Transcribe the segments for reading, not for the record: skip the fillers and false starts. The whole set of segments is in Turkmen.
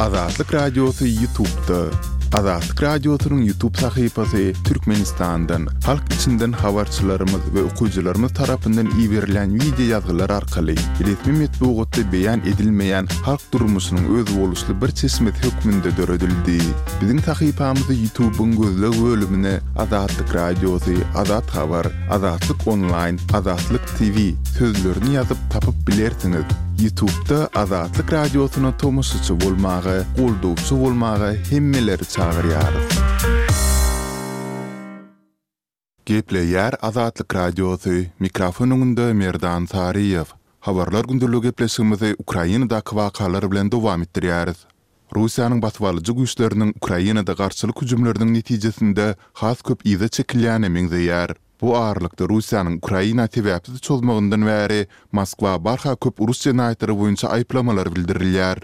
Azatlyk Radiosy Ýutubda. Azatlyk Radiosynyň Ýutub sahypasy Türkmenistandan, halk içinden habarçylarymyz we okyjylarymyz tarapyndan iberilýän wideo ýazgylar arkaly resmi metbugatda beýan edilmeýän halk durmuşynyň özboluşly bir çeşmesi hökmünde döredildi. Biziň sahypamyzy Ýutubyň gözleg bölümine Azatlyk Radiosy, Azat Habar, Azatlyk Onlaýn, Azatlyk TV sözlerini ýazyp tapyp bilersiňiz. Ýutubda Azatlyk Radiosyna tomaşaçy bolmaga, goldawçy bolmaga hemmeleri çagyrýarys. Gepleýär Azatlyk Radiosy, mikrofon öňünde Merdan Saryýew. Habarlar gündeligi gepleşigimizi Ukrainadaky wakalar bilen dowam etdirýäris. Russiýanyň basybalyjy güýçleriniň Ukrainada garşylyk hüjümleriniň netijesinde has köp yza çekilýäne meňzeýär. Bu aralykda Russiýanyň Ukraina sebäpsiz çozmagyndan bäri Moskwa barha köp uruş jenaýatlary boýunça aýyplamalar bildirilýär.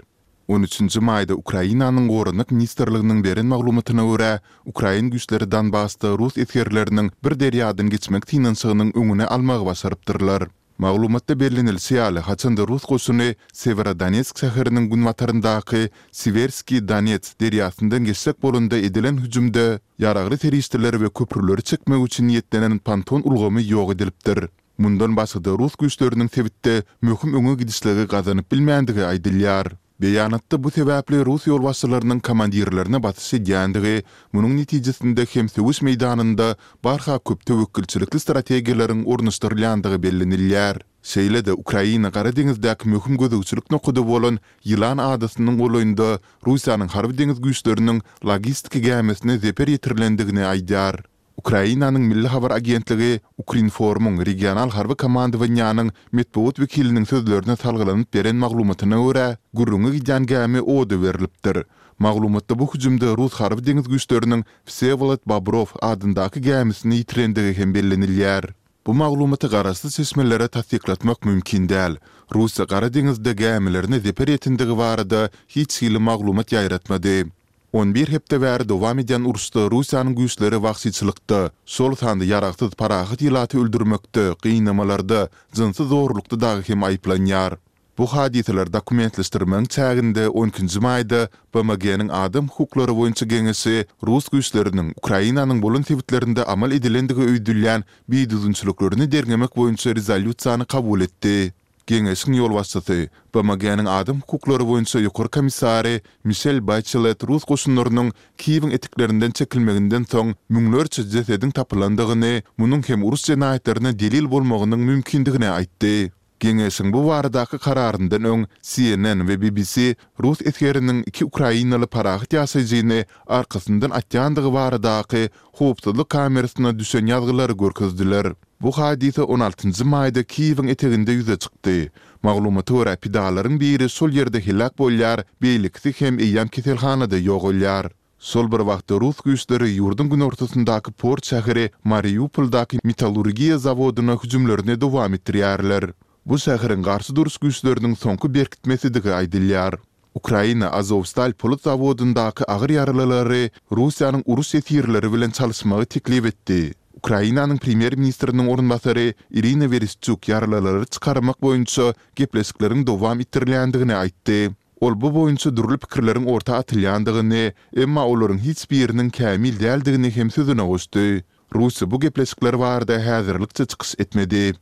On üçünji maýda Ukrainanyň Goranmak ministrliginiň beren maglumatyna görä, ukrain güýçleri Donbasda rus esgerleriniň bir derýadan geçmek synanyşygynyň öňüni almagy başarypdyrlar. Maglumatda bellenilişi ýaly, haçan-da rus goşuny Sewerodonetsk şäheriniň günbataryndaky Siwerskiý Donets derýasyndan geçjek bolanda edilen hüjümde ýaragly serişdeleri we köprüleri çekmek üçin niýetlenen ponton ulgamy ýok edilipdir. Mundan başga-da rus güýçleriniň sebitde möhüm öňe gidişligi gazanyp bilmändigi aýdylýar. Beýanatda bu sebäpli rus ýolbaşçylarynyň komandirlerine basyş edýändigi, munuň netijesinde hem söweş meýdanynda barha köp töwekgelçilikli strategiýalaryň ornaşdyrylýandygy bellenilýär. Şeýle-de Ukraina Gara deňizdäki möhüm gözegçilik nokady bolan Ýylan adasynyň golaýynda Russiýanyň harby-deňiz güýçleriniň logistika gämisine zeper ýetirilendigini aýdýar. Ukrainanyň Milli habar agentligi Ukrinformyň regional harby komandowaniýanyň metbugat wekiliniň sözlerine salgylanyp beren maglumatyna görä, gürrüňi gidýän gämi oda berlipdir. Maglumatda bu hüjümde rus harby-deňiz güýçleriniň Wsewolod Bobrow adyndaky gämisini ýitirendigi hem bellenilýär. Bu maglumaty garaşsyz çeşmelere tassyklatmak mümkin däl. Russiýa Gara deňizde gämilerine zeper ýetendigi barada hiç hili maglumat ýaýratmady. On bir hepde bäri dowam edýän uruşda Russiýanyň güýçleri wagşyçylykda, şol sanda ýaragsyz parahat ilaty öldürmekde, gynamalarda, jynsy zorlukda dagy hem aýyplanýar. Bu hadysalary dokumentleşdirmegiň çäginde on ikinji maýda BMG-niň Adam hukuklary boýunça geňeşi rus güýçleriniň Ukrainanyň bolan sebitlerinde amal edilendigi öýdülýän bidüzgünçiliklerini derňemek boýunça rezolýusiýany kabul etdi. Geňeşiň ýolbaşçysy, BMG-niň Adam hukuklary boýunça ýokary komissary Mişel Baçelet rus goşunlarynyň Kiýewiň eteklerinden çekilmeginden soň müňlerçe jesediň tapylandygyny, munuň hem uruş jenaýatlaryna delil bolmagynyň mümkindigini aýtdy. Geňeşiň bu baradaky kararyndan öň CNN we BBC rus esgeriniň iki ukrainaly parahat ýaşaýjyny arkasyndan atýandygy baradaky howpsuzlyk kamerasyna düşen ýazgylary görkezdiler. Bu hadysa on altynjy maýda Kiýewiň eteginde ýüze çykdy. Maglumata görä, pidalaryň biri şol ýerde heläk bolýar, beýlekisi hem eýýäm keselhanada ýogalýar. Şol bir wagtda rus güýçleri ýurduň günortasyndaky port şäheri Mariupoldaky metallurgiýa zawodyna hüjümlerini dowam etdirýärler. Bu şäheriň garşy duruş güýçleriniň soňky berkitmesidigi aýdylýar. Ukraina Azowstal polat zawodyndaky agyr ýaralylary Russiýanyň uruş ýesirleri bilen çalyşmagy teklip etdi. Ukrainanyň premýer-ministriniň orunbasary Irina Wereşçuk ýaralylary çykarmak boýunça gepleşikleriň dowam etdirilýändigini aýtdy. Ol bu boýunça dürli pikirleriň orta atylýandygyny, emma olaryň hiç biriniň kämil däldigini hem sözüne goşdy. Russiýa bu gepleşikler barada häzirlikçe çykyş etmedi.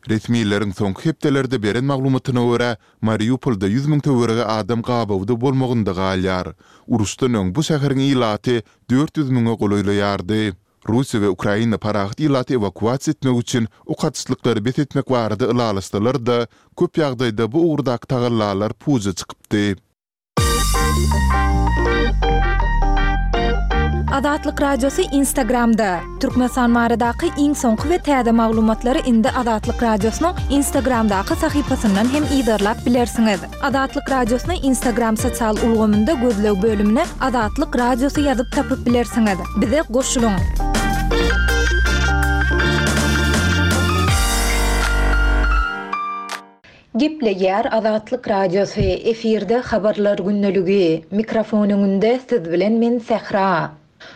Resmileriň soňky hepdelerde beren maglumatyna görä, Mariupolda 100 müň töweregi adam gabawda bolmagynda galýar. Uruşdan öň bu şäheriň ilaty 400 müňe golaýlaýardy. Russiýa we Ukraina parahat ilaty ewakuasiýa etmek üçin ok atyşlyklary bes etmek barada ylalaşsalar-da, köp ýagdaýda bu ugurdaky tagallalar puja çykypdy. Azatlyk Radiosy Instagramda, Türkmenistan baradaky iň soňky we täze maglumatlary indi Azatlyk Radiosynyň Instagramdaky sahypasyndan hem yzarlap bilersiňiz. Azatlyk Radiosyny Instagram sosial ulgamynda gözleg bölümine Azatlyk Radiosy ýazyp tapyp bilersiňiz. Bize goşulyň! Gepleýär Azatlyk Radiosy, efirde Habarlar gündeligi. Mikrofon öňünde siz bilen men Sähra.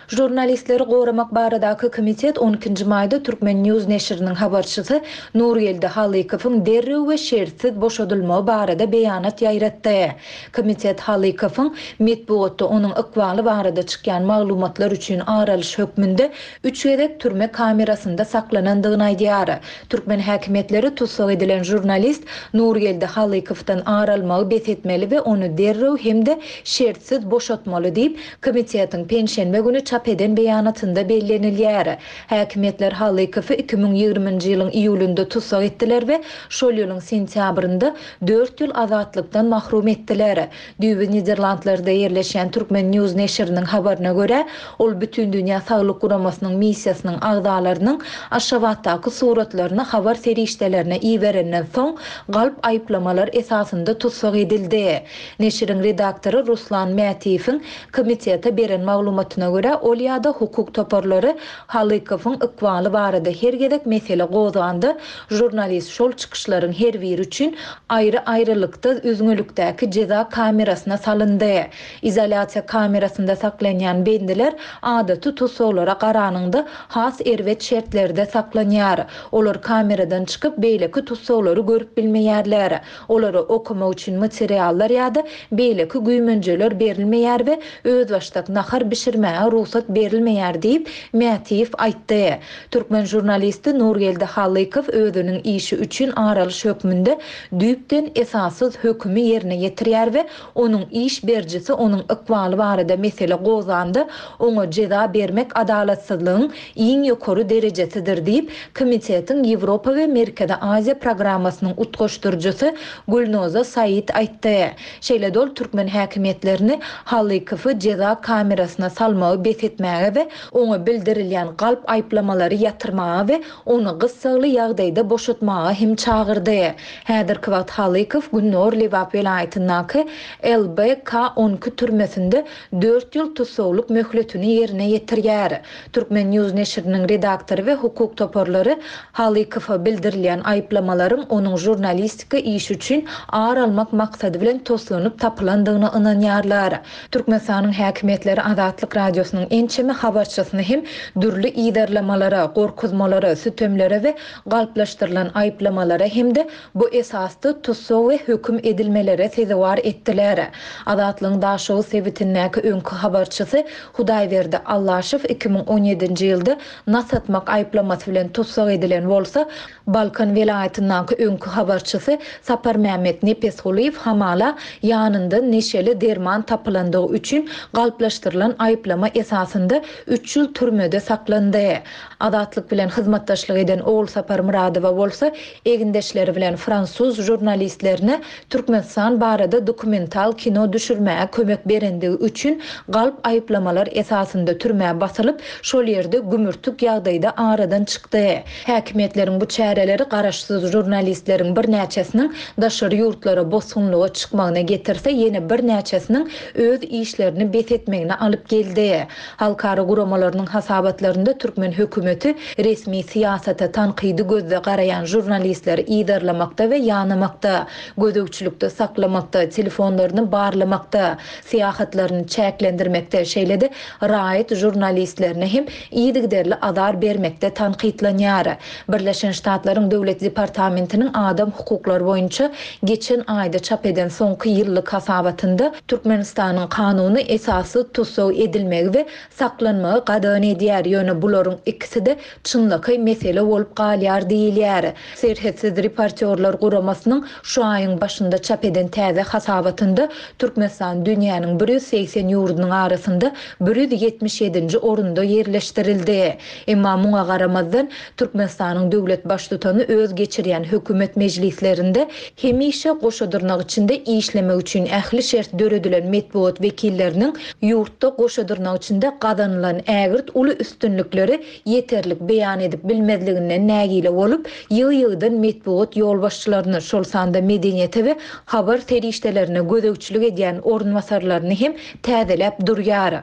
Žurnalistleri goramak baradaky komitet on ikinji maýda Turkmen. News neşiriniň habarçysy Nurgeldi Halykowyň derrew we şertsiz boşadylmagy barada beýanat ýaýratdy. Komitet Halykowyň metbugatda onuň ykbaly barada çykýan maglumatlar üçin ar alyş hökmünde üç gezek türme kamerasynda saklanandygyny aýdýar. Türkmen häkimiýetleri tussag edilen žurnalist Nurgeldi Halykowdan ar almagy bes etmeli we ony derrew hem-de şertsiz boşatmaly diýip, komitetiň penşenbe güni çap eden beýanatynda bellenilýär. Häkimiýetler Halykowy 2020-nji ýylyň iýulynda tussag etdiler we şol ýylyň sentýabrynda dört ýyl azatlykdan mahrum etdiler. Düýbi Niderlandlarda ýerleşýän Turkmen. News neşiriniň habaryna görä, ol Bütindünýä Saglyk Guramasynyň missiýasynyň agzalarynyň Aşgabatdaky suratlaryny habar serişdelerine iberenden soň, galp aýyplamalar esasynda tussag edildi. Neşiriň redaktory Ruslan Mätiýewiň komitete beren maglumatyna görä, ol ýa-da hukuk toparlary Halykowyň ykbaly barada her gezek mesele gozganda, žurnalist şol çykyşlaryň her biri üçin aýry-aýrylykda üzňelikdäki jeza kamerasyna salyndy. Izolýasiýa kamerasynda saklanýan bendiler adaty tussaglara garanyňda has erbet şertlerde saklanýar. Olar kameradan çykyp, beýleki tussaglary görüp bilmeýärler. Olara okamak üçin materiallar ýa-da beýleki güýmenjeler berilmeýär we özbaşdak nahar bişirmäge rugsat berilmeýär diýip, Mätiýew aýtdy. Türkmen žurnalisti Nurgeldi Halykow özüniň işi üçin ar alyş hökmünde düýpden esassyz hökümi ýerine ýetirýär we onuň iş berijisi onuň ykbaly barada mesele gozganda oňa jeza bermek adalatsyzlygyň iň ýokary derejesidir diýip, komitetiň Ýewropa we Merkezi Aziýa programmasynyň utgaşdyryjysy Gülnoza Said aýtdy. Şeýle-de ol türkmen häkimiýetlerini Halykowy jeza kamerasyna salmagy bes etmäge we oňa bildirilýän galp aýyplamalary ýatyrmaga we ony gyssagly ýagdaýda boşatmaga hem çagyrdy. Häzirki wagt Halykow Gündogar Lebap welaýatyndaky LBK 12 türmesinde dört ýyl tussaglyk möhletini ýerine ýetirýär. Turkmen. News neşiriniň redaktory we hukuk toparlary Halykowa bildirilýän aýyplamalaryň onuň žurnalistika işi üçin ar almak maksady bilen toslanyp tapylandygyna ynanýarlar. Türkmenistanyň häkimiýetleri Azatlyk Radiosynyň ençeme habarçysyny hem dürli yzarlamalara, gorkuzmalara, sütemlere we galplaşdyrylan aýyplamalara hem-de bu esasda tussag we höküm edilmelere sezewar etdiler. Azatlygyň Daşoguz sebitindäki öňki habarçysy Hudaýberdi Allaşow 2017-nji ýylda nas atmak aýyplamasy bilen tussag edilen bolsa, Balkan welaýatyndaky öňki habarçysy Saparmämmet Nepesgulyýew hamala ýanyndan neşeli derman tapylandygy üçin galplaşdyrylan aýyplama esasynda üç ýyl türmede saklandy. Azatlyk bilen hyzmatdaşlyk eden Ogulsapar Myradowa bolsa egindeşleri bilen fransuz žurnalistlerine Türkmenistan barada dokumental kino düşürmäge kömek berendigi üçin galp aýyplamalar esasynda türmä basylyp, şol ýerde gümürtik ýagdaýda aradan çykdy. Häkimiýetleriň bu çäreleri garaşsyz žurnalistleriň birnäçesiniň daşary ýurtlara bosgunlyga çykmagyna getirse, ýene birnäçesiniň öz işlerini bes etmegine alyp geldi. Halkara guramalarynyň hasabatlarynda türkmen hökümeti resmi syýasata tankydy gözde garaýan žurnalistleri yzarlamakda we ýanamakda, gözegçilikde saklamakda, telefonlaryny barlamakda, syýahatlaryny çäklendirmekde, şeýle-de raýat žurnalistlerine hem yzygiderli azar bermekde tankytlanýar. Birleşen Ştatlaryň Döwlet departamentiniň adam hukuklary boýunça geçen aýda çap eden soňky ýyllyk hasabatynda Türkmenistanyň kanuny esassyz tussag edilmegi we saklanmagy gadagan edýär, ýöne bularyň ikisi-de çynlakaý mesele bolup galýar diýilýär. Serhetsiz reportýorlar guramasynyň şu aýyň başynda çap eden täze hasabatynda Türkmenistan dünýäniň 180 ýurdunyň arasynda 177-nji orunda ýerleşdirildi. Emma muňa garamazdan, Türkmenistanyň döwlet Baştutany öz geçirýän hökümet mejlislerinde hemişe goşa dyrnak içinde işlemek üçin ähli şert döredilen metbugat wekilleriniň ýurtda goşa dyrnak içinde gazanylan ägirt uly üstünlikleri ýeterlik beýan edip bilmezliginden nägile bolup, ýygy-ýygydan metbugat ýolbaşçylaryny, şol sanda medeniýete we habar serişdelerine gözegçilik edýän orunbasarlaryny hem täzeläp durýar.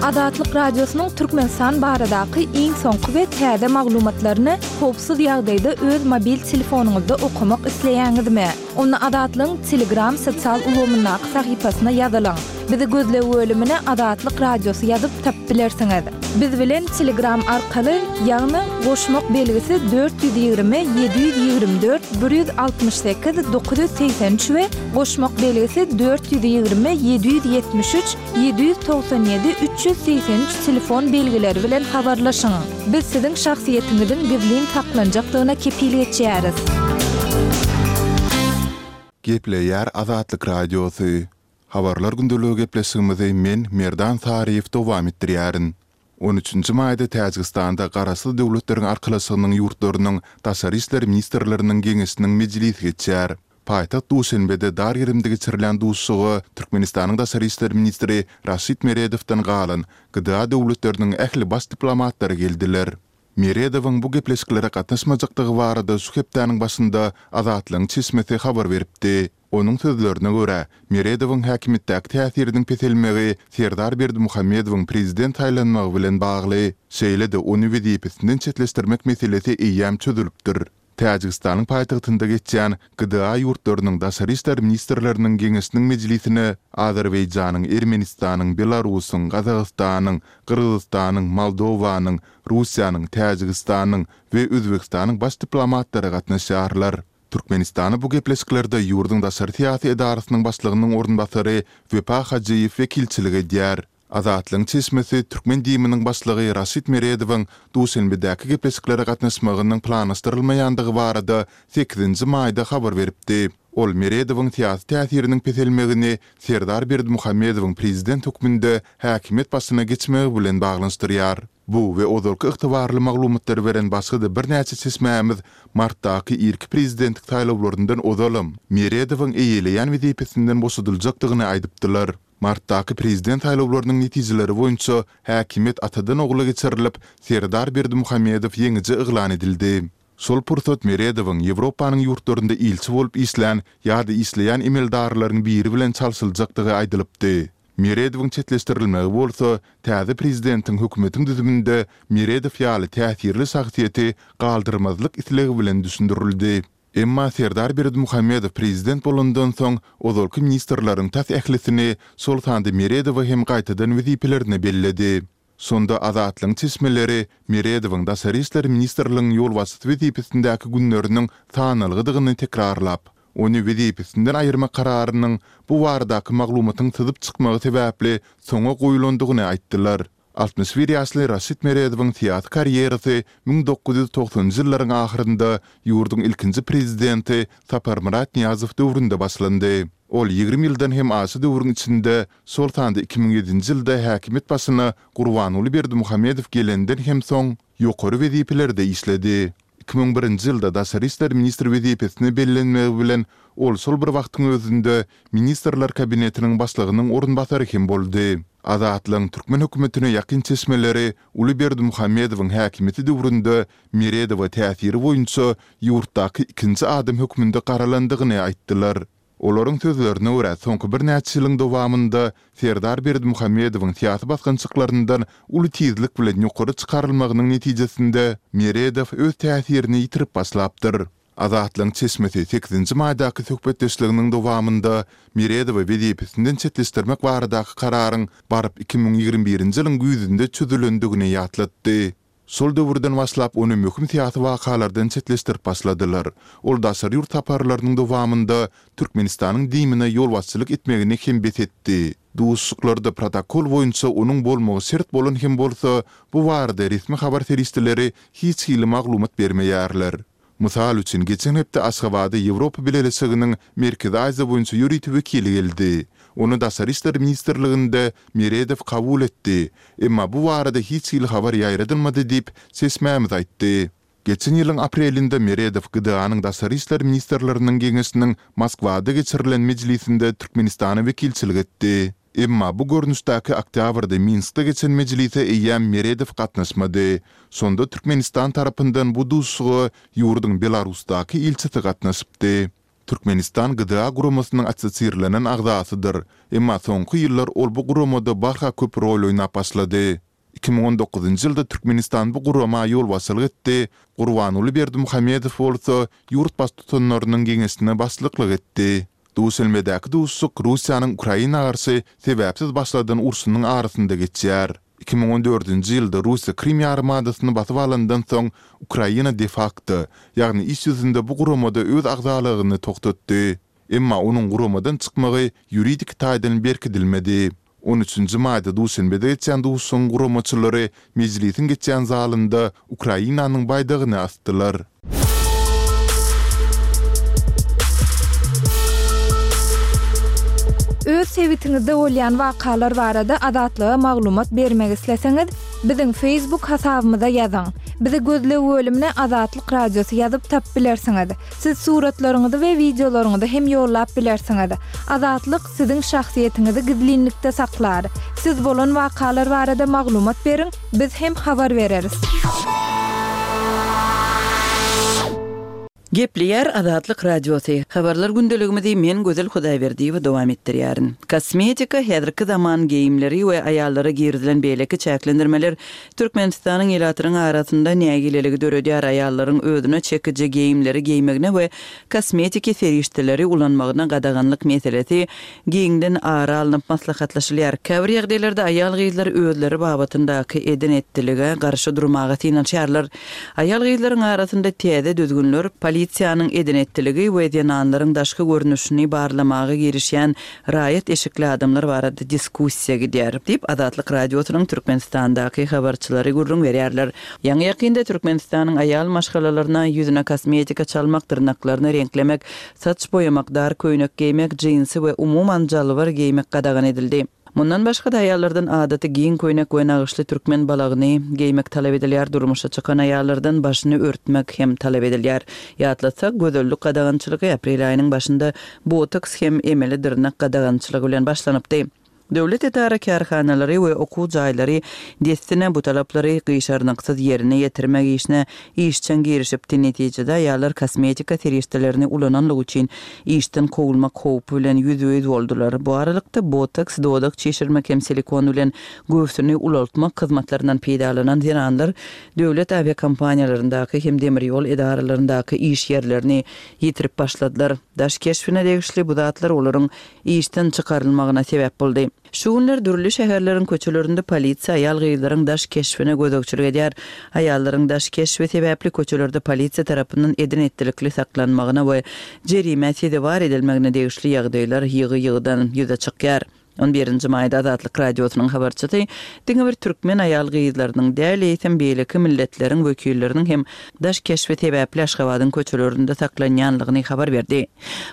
Azatlyk Radiosynyň Türkmenistan baradaky iň soňky we täze maglumatlaryny howpsuz ýagdaýda öz mobil telefonyňyzda okamak isleýäňizmi? Onda Azatlygyň Telegram sosial ulgamyndaky sahypasyna ýazylyň. Bizi gözleg bölümine Azatlyk Radiosy ýazyp tapyp bilersiňiz. Biz bilen Telegram arkaly, ýagny goşmak belgisi 420 724 168 983 we goşmak belgisi 420 773 797 383 telefon belgileri bilen habarlaşyň. Biz siziň şahsyýetiňiziň gizlin saklanjakdygyna kepil geçýäris. Gepleýär Azatlyk Radiosy. Habarlar gündeligi gepleşigimizi men, Merdan Saryýew dowam etdirýärin. On üçünji maýda Täjigistanda Garaşsyz Döwletleriň Arkalaşygynyň ýurtlarynyň Daşary işler ministrleriniň geňeşiniň mejlisi geçýär. Paýtagt Duşenbede dar gerimde geçirilýän duşuşyga Türkmenistanyň daşary işler ministri Raşid Meredowdan galan GDA döwletleriniň ähli baş diplomatlary geldiler. Meredowyň bu gepleşiklere gatnaşmajakdygy barada şu hepdäniň başynda Azatlygyň çeşmesi habar beripdi. Onuň sözlerine görä, Meredowyň häkimiýetdäki täsiriniň peselmegi Serdar Berdimuhamedowyň prezident saýlanmagy bilen bagly. Şeýle-de ony wezipesinden çetleşdirmek meselesi eýýäm çözülipdir. Täjigistanyň paýtagtynda geçýän GDA ýurtlarynyň daşary işler ministrleriniň geňeşiniň mejlisine Azerbaýjanyň, Ermenistanyň, Belarusyň, Gazagystanyň, Gyrgyzystanyň, Moldowanyň, Russiýanyň, Täjigistanyň we Özbegistanyň baş diplomatlary gatnaşýarlar. Türkmenistana bu gepleşiklerde ýurduň daşary syýasy edarasynyň başlygynyň orunbasary Wepa Hajyýew wekilçilik edýär. Azatlygyň çeşmesi türkmen DIM-niň başlygy Raşid Meredowyň Duşenbedäki gepleşiklere gatnaşmagynyň planlaşdyrylmaýandygy barada sekizinji maýda habar beripdi. Ol Meredowyň syýasy täsiriniň peselmegini Serdar Berdimuhamedowyň prezident hökmünde häkimiýet başyna geçmegi bilen baglanyşdyrýar. Bu we ozalky ygtybarly maglumatlary beren başga-da birnäçe çeşmämiz martdaky irki prezidentlik saýlawlaryndan ozalam Meredowyň eýeleýän wezipesinden boşadyljakdygyny aýdypdylar. Martdaky prezident saýlawlarynyň netijeleri boýunça häkimiýet atadan-ogla geçirilip, Serdar Berdimuhamedow ýeňiji yglan edildi. Şol pursat Meredowyň Ýewropanyň ýurtlarynda ilçi bolup işlän ýa-da işleýän emeldarlaryň biri bilen çalşyljakdygy aýdylypdy. Meredowyň çetleşdirilmegi bolsa, täze prezidentiň hökümetiň düzüminde Meredow ýaly täsirli şahsyýeti galdyrmazlyk islegi bilen düşündirildi. Emma Serdar Berdimuhamedow prezident bolandan soň, ozalky ministrleriň tas ählisini, şol sanda Meredowy hem gaýtadan wezipelerine belledi. Şonda Azatlygyň çeşmeleri Meredowyň Daşary işler ministrligiň ýolbaşçysy wezipesindäki günleriniň sanalgydygyny tekrarlap, ony wezipesinden aýyrmak kararynyň bu baradaky maglumatyň syzyp çykmagy sebäpli soňa goýulandygyny aýtdylar. 61 ýaşly Raşid Meredowyň syýasy karýerasy 1990-njy ýyllaryň ahyrynda ýurduň ilkinji prezidenti Saparmyrat Nyýazow döwründe başlandy. Ol 20 ýyldan hem aşa döwrüň içinde, şol sanda 2007-nji ýylda häkimiýet başyna Gurbanguly Berdimuhamedow gelenden hem soň, ýokary wezipelerde işledi. 2001-nji ýylda daşary işler ministri wezipesine bellenmegi bilen, ol şol bir wagtyň özünde Ministrler Kabinetiniň başlygynyň orunbasary hem boldy. Azatlygyň türkmen hökümetine ýakyn çeşmeleri uly Berdimuhamedowyň häkimiýeti döwründe Meredowa täsiri boýunça ýurtdaky ikinji adam hökmünde garalandygyny aýtdylar. Olaryň sözlerine görä, soňky birnäçe ýylyň dowamynda Serdar Berdimuhamedowyň syýasy basgançaklaryndan uly tizlik bilen ýokary çykarylmagynyň netijesinde Meredow öz täsirini ýitirip başlapdyr. Azatlygyň çeşmesi sekizinji maýdaky söhbetdeşliginiň dowamynda Meredowy wezipesinden çetleşdirmek baradaky kararyň baryp 2021-nji ýylyň güýzünde çözülendigini ýatlatdy. Şol döwürden başlap ony möhüm syýasy wakalardan çetleşdirip başladylar. Ol daşary ýurt saparlarynyň dowamynda Türkmenistanyň DIM-ine ýolbaşçylyk etmegini hem bes etdi. Duşuşyklarda protokol boýunça onuň bolmagy şert bolan hem bolsa, bu barada resmi habar serişdeleri hiç hili maglumat bermeýärler. Mysal üçin, geçen hepde Aşgabada Ýewropa Bileleşiginiň Merkezi Aziýa boýunça ýörite wekili geldi. Ony Daşary işler ministrliginde Meredow kabul etdi. Emma bu barada hiç hili habar ýaýradylmady diýip, çeşmämiz aýtdy. Geçen ýylyň aprelinde Meredow GDA-nyň Daşary işler ministrleriniň geňeşiniň Moskwada geçirilen mejlisinde Türkmenistana wekilçilik etdi. Emma bu görnüşdäki oktýabrda Minskde geçen mejlise eýýäm Meredow gatnaşmady. Şonda Türkmenistan tarapyndan bu duşuşyga ýurduň Belarusdaky ilçisi gatnaşypdy. Türkmenistan GDA guramasynyň assosirlenen agzasydyr, emma soňky ýyllar ol bu guramada barha köp rol oýnap başlady. 2019-njy ýylda Türkmenistan bu gurama ýolbaşçylyk etdi, Gurbanguly Berdimuhamedow bolsa ýurt Baştutanlarynyň Geňeşine başlyklyk etdi. Duşenbedäki duşuşyk Russiýanyň Ukraina garşy sebäpsiz başladan urşunyň arasynda geçýär. 2014-nji ýylda Russiýa Krym ýarymadasyny basyp alandan soň, Ukraina de-fakto, ýagny iş ýüzünde bu guramada öz agzalygyny togtatdy. Emma onuň guramadan çykmagy ýuridik taýdan berkidilmedi. On üçünji maýda Duşenbede geçýän duşuşygyň guramaçylary mejlisiň geçýän zalynda Ukrainanyň baýdagyny asdylar. Öz sebitiňizde bolýan wakalar barada Azatlyga maglumat bermek isleseňiz, biziň Facebook hasabymyza ýazyň. Bizi gözleg bölümine Azatlyk Radiosy ýazyp tapyp bilersiňiz. Siz suratlaryňyzy we wideolaryňyzy hem ýollap bilersiňiz. Azatlyk siziň şahsyýetiňizi gizlinlikde saklar. Siz bolan wakalar barada maglumat beriň, biz hem habar bereris. Gepleýär Azatlyk Radiosy, Habarlar gündeligimizi men Gözel Hudaýberdiýewa dowam etdirýärin. Kosmetika, häzirki zaman geýimleri we aýallara girizilen beýleki çäklendirmeler Türkmenistanyň ilatynyň arasynda nägileligi döredýär, aýallaryň özüne çekiji geýimleri geýmegine we kosmetiki serişdeleri ulanmagyna gadaganlyk meselesi giňden ara alnyp maslahatlaşylýar. Käbir ýagdaýlarda aýal-gyzlar özleri babatyndaky eden-etdilige garşy durmaga synanyşýarlar. Aýal-gyzlaryň arasynda täze düzgünler, polisiýanyň eden-etdiligi we zenanlaryň daşky görnüşini barlamaga girişýän raýat eşikli adamlar barada diskussiýa gidýär, diýip, Azatlyk Radiosynyň Türkmenistandaky habarçylary gürrüň berýärler. Ýaňy-ýakynda Türkmenistanyň aýal maşgalalaryna ýüzüne kosmetika çalmak, dyrnaklaryny reňklemek, saç boýamak, dar köýnek geýmek, jinsi we umuman jalbar geýmek gadagan edildi. Mundan başga-da, aýallardan adaty giň köýnek we nagyşly türkmen balagyny geýmek talap edilýär, durmuşa çykan aýallardan başyny örtmek hem talap edilýär. Ýatlatsak, gözellik gadagançylygy aprel aýynyň başynda botoks hem emeli dyrnak gadagançylygy bilen başlanypdy. Döwlet edara-kärhanalary we okuw jaýlary dessine bu talaplary gyşarnyksyz ýerine ýetirmek işine işjeň girişipdi, netijede aýallar kosmetika serişdelerini ulananlygy üçin işden kowulmak howpy bilen ýüzbe-ýüz boldular. Bu aralykda, botoks, dodak çişirmek hem silikon bilen göwsüni ulaltmak hyzmatlaryndan peýdalanan zenanlar döwlet awiakompaniýalaryndaky hem demir ýol edaralaryndaky iş ýerlerini ýitirip başladylar. Daş keşbine degişli bu zatlar olaryň işden çykarylmagyna sebäp boldy. Şu günler dürli şäherleriň köçelerinde polisiýa aýal-gyzlaryň daş keşbine gözegçilik edýär. Aýallaryň daş keşbi sebäpli köçelerde polisiýa tarapyndan eden-etdilikli saklanmagyna we jerimä sezewar edilmegine degişli ýagdaýlar ýygy-ýygydan ýüze çykýar. On birinji maýda Azatlyk Radiosynyň habarçysy diňe bir türkmen aýal-gyzlarynyň däl, eýsem beýleki milletleriň wekilleriniň hem daş keşbi sebäpli Aşgabadyň köçelerinde saklanýanlygyny habar berdi.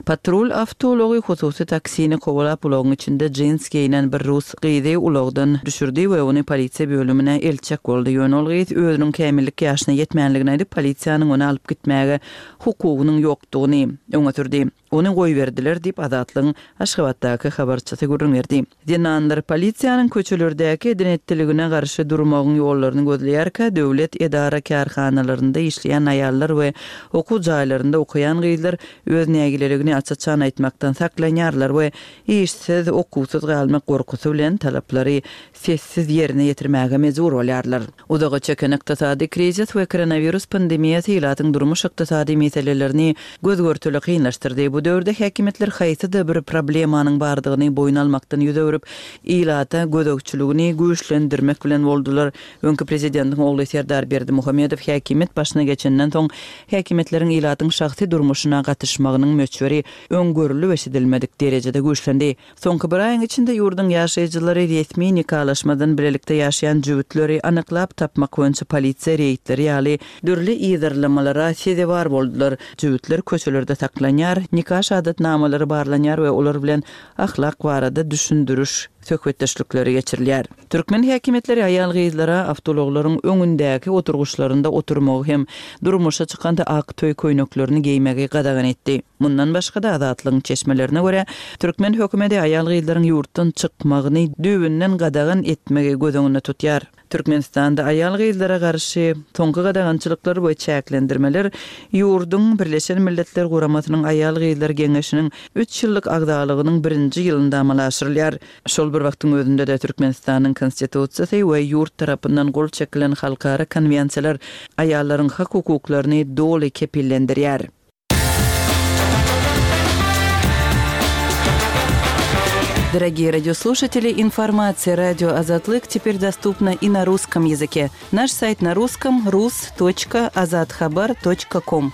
Patrul awtoulagy hususy taksini kowalap ulagyň içinde jins geýnen bir rus gyzy ulagdan düşürdi we ony polisiýa bölümine eltjek boldy. Ýöne ol gyz özüniň kämillik ýaşyna ýetmänligini aýdyp, polisiýanyň ony alyp gitmäge hukugynyň ýokdugyny öňe sürdi. Ony goýberdiler diýip, Azatlygyň Aşgabatdaky habarçysy gürrüň berdi. Zenanlar polisiýanyň köçelerdäki eden-etdiligine garşy durmagyň ýollaryny gözleýärkä, döwlet edara-kärhanalarynda işleýän aýallar we okuw jaýlarynda okaýan gyzlar öz nägileligini aç-açan aýtmakdan saklanýarlar we işsiz, okuwsyz galmak gorkusy bilen talaplary sessiz ýerine ýetirmäge mejbur bolýarlar. Uzaga çeken ykdysady krizis we koronawirus pandemiýasy ilatyň durmuş-ykdysady meselelerini göz-görtele kynlaşdyrdy. Bu döwürde häkimiýetler haýsyda bir problemanyň bardygyny boýun almakdan ýüz öwrüp, ilata gözegçiligini güýçlendirmek bilen boldular. Öňki prezidentiň ogly Serdar Berdimuhamedow häkimiýet başyna geçenden soň, häkimiýetleriň ilatyň şahsy durmuşyna gatyşmagynyň möçberi öň görlüp-eşidilmedik derejede güýçlendi. Soňky bir aýyň içinde ýurduň ýaşaýjylary resmi nikalaşmadan bilelikde ýaşaýan jübütleri anyklap tapmak boýunça polisiýa reýdleri ýaly dürli yzarlamalara sezewar boldular. Jübütler köçelerde saklanýar, nika şahadatnamalary barlanýar we olar bilen ahlak barada düşündiriş söhbetdeşlikleri geçirilýär. Türkmen häkimiýetleri aýal-gyzlara awtoulaglaryň öňündäki oturgyçlarynda oturmagy hem durmuşa çykanda ak toý köýneklerini geýmegi gadagan etdi. Mundan başga-da, Azatlygyň çeşmelerine görä, türkmen hökümeti aýal-gyzlaryň ýurtdan çykmagyny düýbünden gadagan etmegi göz öňünde tutýar. Türkmenistanda aýal-gyzlara garşy soňky gadagançylyklar we çäklendirmeler ýurduň Birleşen Milletler Guramasynyň Aýal-gyzlar geňeşiniň üç ýyllyk agzalygynyň birinji ýylynda amala aşyrylýar. Şol bir wagtyň özünde-de Türkmenistanyň Konstitusiýasy we ýurt tarapyndan gol çekilen halkara konwensiýalar aýallaryň hak-hukuklaryny doly kepillendirýär. Дорогие радиослушатели, информация радио Азатлык теперь доступна и на русском языке. Наш сайт на русском rus.azathabar.com.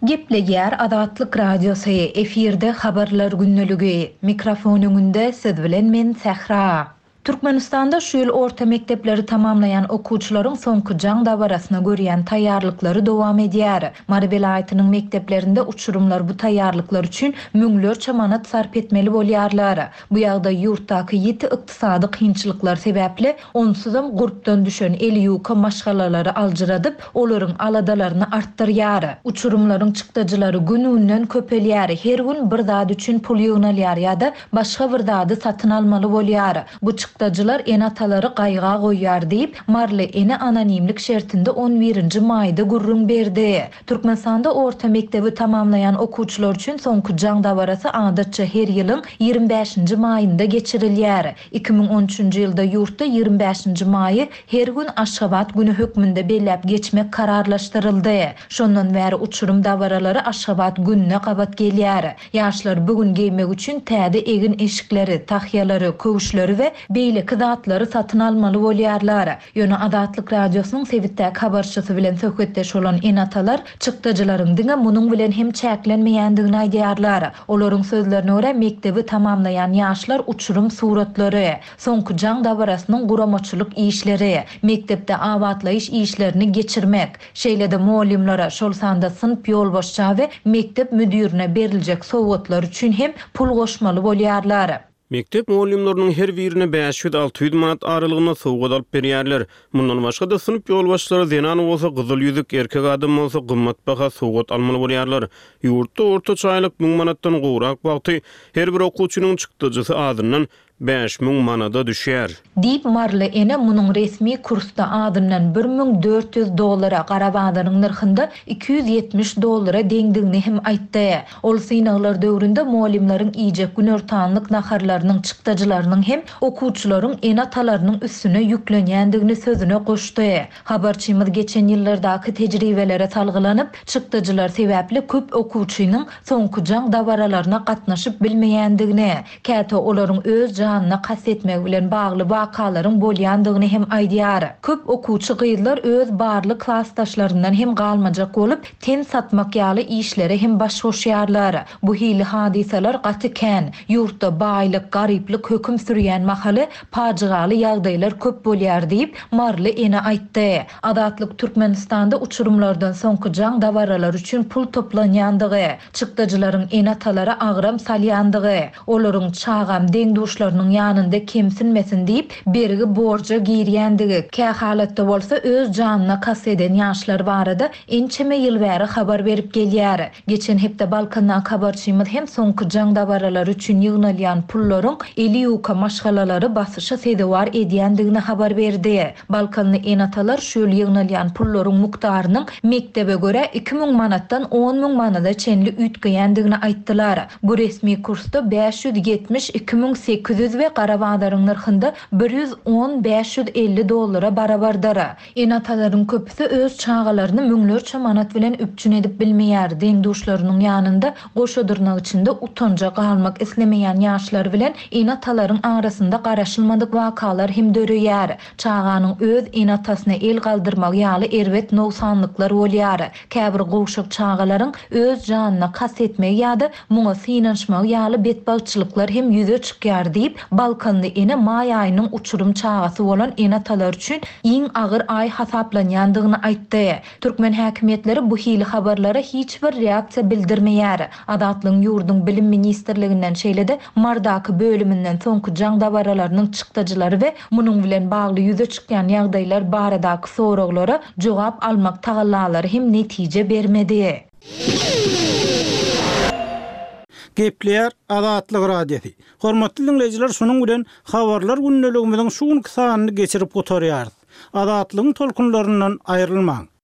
Gepleýär Azatlyk Radiosy, efirde Habarlar gündeligi. Mikrofon öňünde siz bilen men Sähra. Türkmenistanda şu ýyl orta mekdepleri tamamlaýan okuwçylaryň soňky jaň dabarasyna görýän taýýarlyklary dowam edýär. Mary welaýatynyň mekdeplerinde uçurymlar bu taýýarlyklar üçin müňlerçe manat sarp etmeli bolýarlar. Bu ýagdaý ýurtdaky ýiti ykdysady kynçylyklar sebäpli onsuzam gurpdan düşen eli ýuka maşgalalary aljyradyp, olaryň aladalaryny artdyrýar. Uçurymlaryň çykdajylary gün-günden köpelýär, her gün bir zat üçin pul ýygnalýar ýa-da başga bir zady satyn almaly bolýar. Bu çykdajylar ene-atalary gaýga goýýar diýip, maryly ene anonimlik şertinde on birinji maýda gürrüň berdi. Türkmenistanda orta mekdebi tamamlaýan okuwçylar üçin soňky jaň dabarasy adatça her ýylyň 25-nji maýynda geçirilýär. 2013-nji ýylda ýurtda 25-nji maýy her gün Aşgabat güni hökmünde belläp geçmek kararlaşdyryldy. Şondan bäri uçurym dabaralary Aşgabat gününe gabat gelýär. Ýaşlar bu gün geýmek üçin täze egin-eşikleri, tahýalary, köwüşleri we beýleki zatlary satyn almaly bolýarlar. Ýöne Azatlyk Radiosynyň sebitdäki habarçysy bilen söhbetdeş bolan ene-atalar çykdajylaryň diňe munuň bilen hem çäklenmeýändigini aýdýarlar. Olaryň sözlerine görä, mekdebi tamamlaýan ýaşlar uçurym suratlary, soňky jaň dabarasynyň guramaçylyk işleri, mekdepde abatlaýyş işlerini geçirmek, şeýle-de mugallymlara, şol sanda synp ýolbaşça we mekdep müdirine beriljek sowgatlar üçin hem pul goşmaly bolýarlar. Mekdep mugallymlarynyň her birine 500-600 manat aralygynda sowgat alyp berýärler. Mundan başga-da, synp ýolbaşçylary zenan bolsa gyzyl ýüzük, erkek adam bolsa gymmatbaha sowgat almaly bolýarlar. Ýurtda ortaça aýlyk müň manatdan gowrak wagty her bir okuwçynyň çykdajysy azyndan 5000 manada düşýär. Diýip, maryly ene munuň resmi kursda azyndan 1400 dollara, gara bazaryň nyrhynda 270 dollara deňdigini hem aýtdy. Ol synaglar döwründe mugallymlaryň iýjek günortanlyk naharlarynyň çykdajylarynyň hem okuwçylaryň ene-atalarynyň üstüne ýüklenýändigini sözüne goşdy. Habarçymyz geçen ýyllardaky tejribelere salgylanyp, çykdajylar sebäpli köp okuwçynyň soňky jaň dabaralaryna gatnaşyp bilmeýändigini, Käte olaryň öz janyna kast etmegi bilen bagly wakalaryň bolýandygyny hem aýdýar. Köp okuwçy gyzlar öz barly klasdaşlaryndan hem galmajak bolup, ten satmak ýaly işlere hem baş goşýarlar. Bu hili hadysalar gaty kän. Ýurtda baýlyk, garyplyk höküm sürýän mahaly pajygaly ýagdaýlar köp bolýar diýip, maryly ene aýtdy. Azatlyk Türkmenistanda uçurymlardan soňky jaň dabaralary üçin pul toplanýandygy, Çykdajylaryň ene-atalara agram salýandygy, olaryň çagam deň-duşlarynyň ýanynda kemsinmesin diýip, bergi-borja girýändigi, kähalatda bolsa öz janyna kast eden ýaşlar barada ençeme ýyl bäri habar berip gelýär. Geçen hepde Balkandaky habarçymyz hem soňky jaň dabaralary üçin ýygnalýan pullaryň eli ýuka maşgalalary basyşa sezewar edýändigini habar berdi. Balkanly ene-atalar şu ýyl ýygnalýan pullaryň mukdarynyň mekdebe görä 2000 manatdan 10,000 manada çenli üýtgeýändigini aýtdylar. Bu resmi kursda 572 800 we gara bazaryň nyrhynda 110 550 dollara barabardyr. Ene-atalaryň köpüsi öz çagalaryny müňlerçe manat bilen üpjün edip bilmeýär, deň-duşlarynyň ýanynda goşa dyrnak içinde utanja galmak islemeýän ýaşlar bilen ene-atalaryň arasynda garaşylmadyk wakalar hem döreýär. Çaganyň öz ene-atasyna el galdyrmagy ýaly erbet nogsanlyklar bolýar. Käbir gowşak çagalaryň öz janyna kast etmegi ýa-da muňa synanyşmagy ýaly betbagtçylyklar hem ýüze çykýar diýip, balkanly ene maý aýynyň uçurym çagasy bolan ene-atalar üçin iň agyr aý hasaplanýandygyny aýtdy. Türkmen häkimiýetleri bu hili habarlara hiç bir reaksiýa bildirmeýär. Azatlygyň ýurduň Bilim ministrliginden, şeýle-de Mardaky bölüminden soňky jaň dabaralarynyň çykdajylary we munuň bilen bagly ýüze çykýan ýagdaýlar baradaky soraglara jogap almak tagallalary hem netije bermedi. Gepleýär Azatlyk Radiosy. Hormatly diňleýjiler şunuň bilen Habarlar gündeligimiziň şu günki sanyny geçirip gutarýarys. Azatlygyň tolkunlaryndan aýrylmaň!